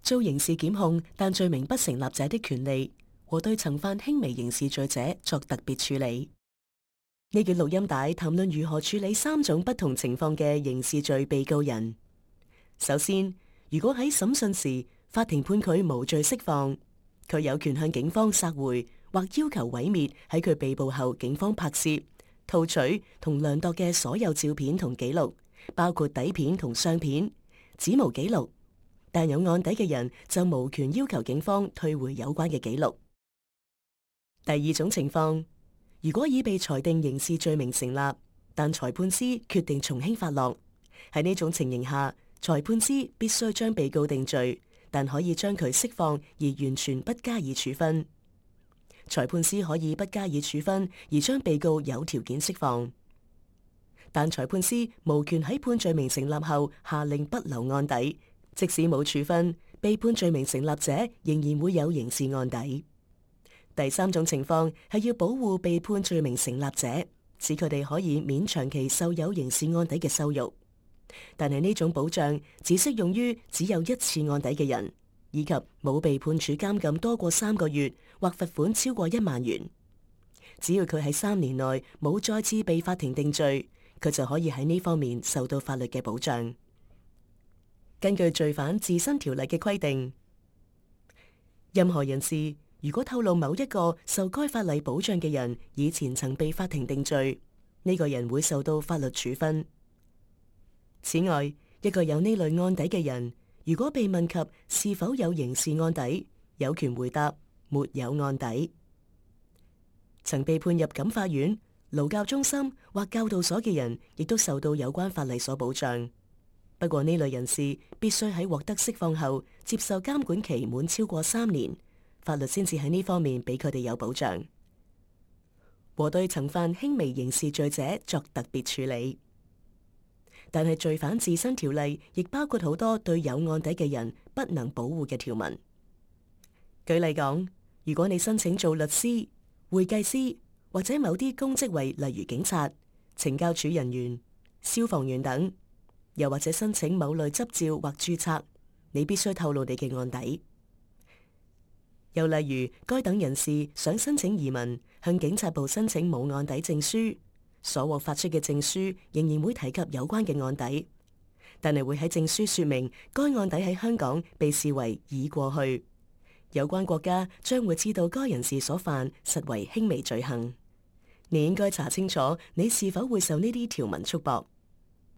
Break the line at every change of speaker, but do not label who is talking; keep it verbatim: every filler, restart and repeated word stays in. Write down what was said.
遭刑事檢控但罪名不成立者的權利和對曾犯輕微刑事罪者作特別處理。呢段錄音帶談論如何處理三種不同情況嘅刑事罪被告人。首先，如果喺審訊時法庭判佢無罪釋放，佢有權向警方索回或要求毀滅喺佢被捕後警方拍攝、套取同量度嘅所有照片同記錄，包括底片同相片、指模記錄。但有案底嘅人就無權要求警方退回有關嘅記錄。第二種情況，如果已被裁定刑事罪名成立，但裁判司決定從輕發落，喺呢種情形下，裁判司必須將被告定罪，但可以將佢釋放而完全不加以處分。裁判司可以不加以處分而將被告有條件釋放，但裁判司無權喺判罪名成立後下令不留案底。即使冇處分，被判罪名成立者仍然會有刑事案底。第三種情況係要保護被判罪名成立者，使佢哋可以免長期受有刑事案底嘅羞辱。但係呢種保障只適用於只有一次案底嘅人，以及冇被判處監禁多過三個月或罰款超過一萬元。只要佢喺三年內冇再次被法庭定罪，佢就可以喺呢方面受到法律嘅保障。根據罪犯自身條例嘅規定，任何人士如果透露某一個受該法例保障嘅人以前曾被法庭定罪，呢個人會受到法律處分。此外，一個有呢類案底嘅人，如果被問及是否有刑事案底，有權回答沒有案底。曾被判入感化院、勞教中心或教導所嘅人，亦都受到有關法例所保障。不過呢類人士必須喺獲得釋放後接受監管期滿超過三年，法律先至喺呢方面俾佢哋有保障，和對曾犯輕微刑事罪者作特別處理。但係罪犯自身條例亦包括好多對有案底嘅人不能保護嘅條文。舉例講，如果你申請做律師、會計師或者某啲公職位，例如警察、懲教署人員、消防員等，又或者申請某類執照或註冊，你必須透露你嘅案底。又例如，該等人士想申請移民，向警察部申請冇案底證書，所獲發出嘅證書仍然會提及有關嘅案底，但係會喺證書說明該案底喺香港被視為已過去，有關國家將會知道該人士所犯實為輕微罪行。你應該查清楚你是否會受呢啲條文束縛。